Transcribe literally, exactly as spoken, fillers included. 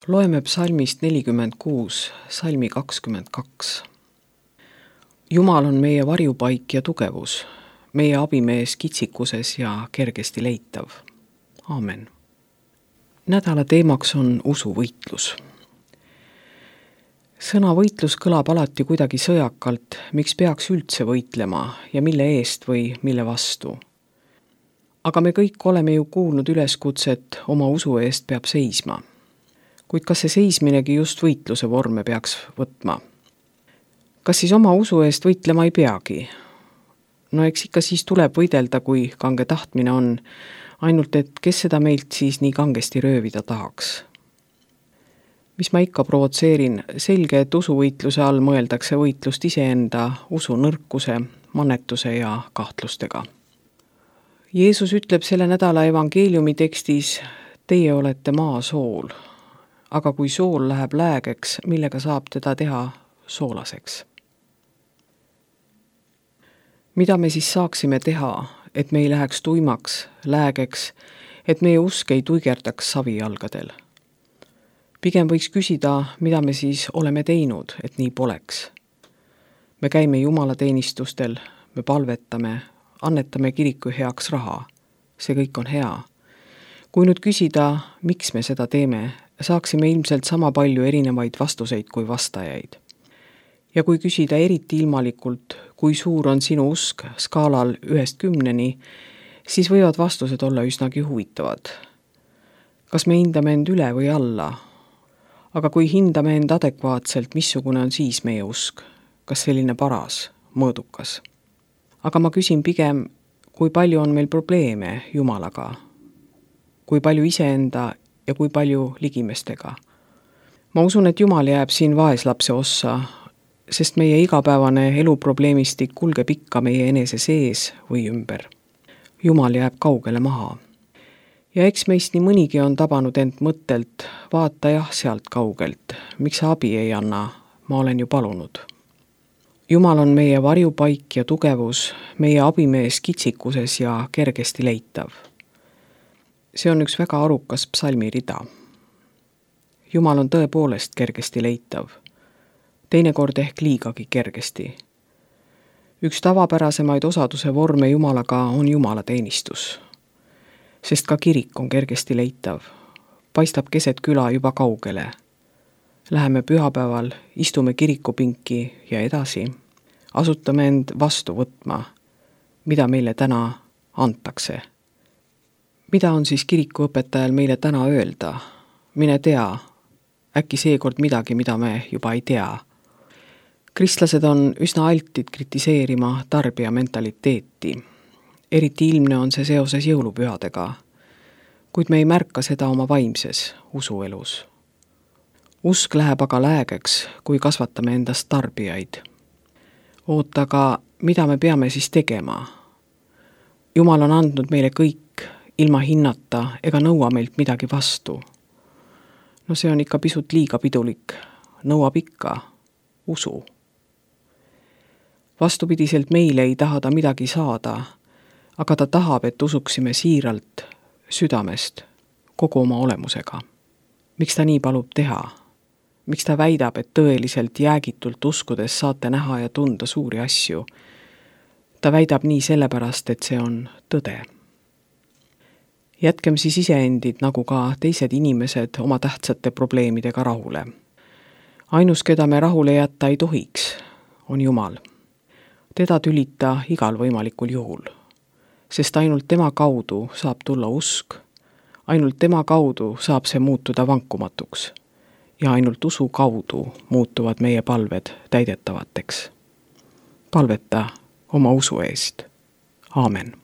Loeme psalmist nelikümmend kuus, salmi kakskümmend kaks. Jumal on meie varjupaik ja tugevus, meie abimees kitsikuses ja kergesti leitav. Aamen. Nädala teemaks on usuvõitlus. Sõna võitlus kõlab alati kuidagi sõjakalt, miks peaks üldse võitlema ja mille eest või mille vastu. Aga me kõik oleme ju kuulnud üleskutset oma usu eest peab seisma. Kuid kas see seisminegi just võitluse vorme peaks võtma? Kas siis oma usu eest võitlema ei peagi? No eks ikka siis tuleb võidelda, kui kange tahtmine on, ainult et kes seda meilt siis nii kangesti röövida tahaks. Mis ma ikka provotseerin, selge, et usuvõitluse all mõeldakse võitlust iseenda usu nõrkuse, mannetuse ja kahtlustega. Jeesus ütleb selle nädala evangeeliumi tekstis, teie olete maa sool. Aga kui sool läheb läägeks, millega saab teda teha soolaseks? Mida me siis saaksime teha, et me ei läheks tuimaks, läägeks, et meie usk ei tuigerdaks savijalgadel? Pigem võiks küsida, mida me siis oleme teinud, et nii poleks. Me käime jumalateenistustel, me palvetame, annetame kiriku heaks raha. See kõik on hea. Kui nüüd küsida, miks me seda teeme, saaksime ilmselt sama palju erinevaid vastuseid kui vastajaid. Ja kui küsida eriti ilmalikult, kui suur on sinu usk skaalal ühest kümneni, siis võivad vastused olla üsnagi huvitavad. Kas me hindame end üle või alla? Aga kui hindame end adekvaatselt, missugune on siis meie usk? Kas selline paras, mõõdukas? Aga ma küsin pigem, kui palju on meil probleeme Jumalaga? Kui palju iseenda ja kui palju ligimestega. Ma usun, et Jumal jääb siin vaeslapse ossa, sest meie igapäevane eluprobleemistik kulgeb ikka meie enese sees või ümber. Jumal jääb kaugele maha. Ja eks meist nii mõnigi on tabanud end mõttelt, vaata jah sealt kaugelt, miks sa abi ei anna, ma olen ju palunud. Jumal on meie varjupaik ja tugevus, meie abimees kitsikuses ja kergesti leitav. See on üks väga arukas psalmi rida. Jumal on tõepoolest kergesti leitav. Teinekord ehk liigagi kergesti. Üks tavapärasemaid osaduse vorme Jumalaga on jumalateenistus. Sest ka kirik on kergesti leitav. Paistab keset küla juba kaugele. Läheme pühapäeval, istume kirikupinki ja edasi. Asutame end vastu võtma, mida meile täna antakse. Mida on siis kirikuõpetajal meile täna öelda? Mine tea, äkki seekord midagi, mida me juba ei tea. Kristlased on üsna altid kritiseerima tarbija mentaliteeti. Eriti ilmne on see seoses jõulupühadega, kuid me ei märka seda oma vaimses usuelus. Usk läheb aga läägeks, kui kasvatame endast tarbijaid. Oota, aga mida me peame siis tegema? Jumal on andnud meile kõik, ilma hinnata ega nõua meilt midagi vastu. No see on ikka pisut liiga pidulik. Nõuab ikka usu. Vastupidiselt meile ei taha ta midagi saada, aga ta tahab, et usuksime siiralt, südamest, kogu oma olemusega. Miks ta nii palub teha? Miks ta väidab, et tõeliselt jäägitult uskudes saate näha ja tunda suuri asju? Ta väidab nii sellepärast, et see on tõde. Jätkem siis iseendid nagu ka teised inimesed oma tähtsate probleemidega rahule. Ainus, keda me rahule jätta ei tohiks, on Jumal. Teda tülita igal võimalikul juhul, sest ainult tema kaudu saab tulla usk, ainult tema kaudu saab see muutuda vankumatuks ja ainult usu kaudu muutuvad meie palved täidetavateks. Palveta oma usu eest. Aamen.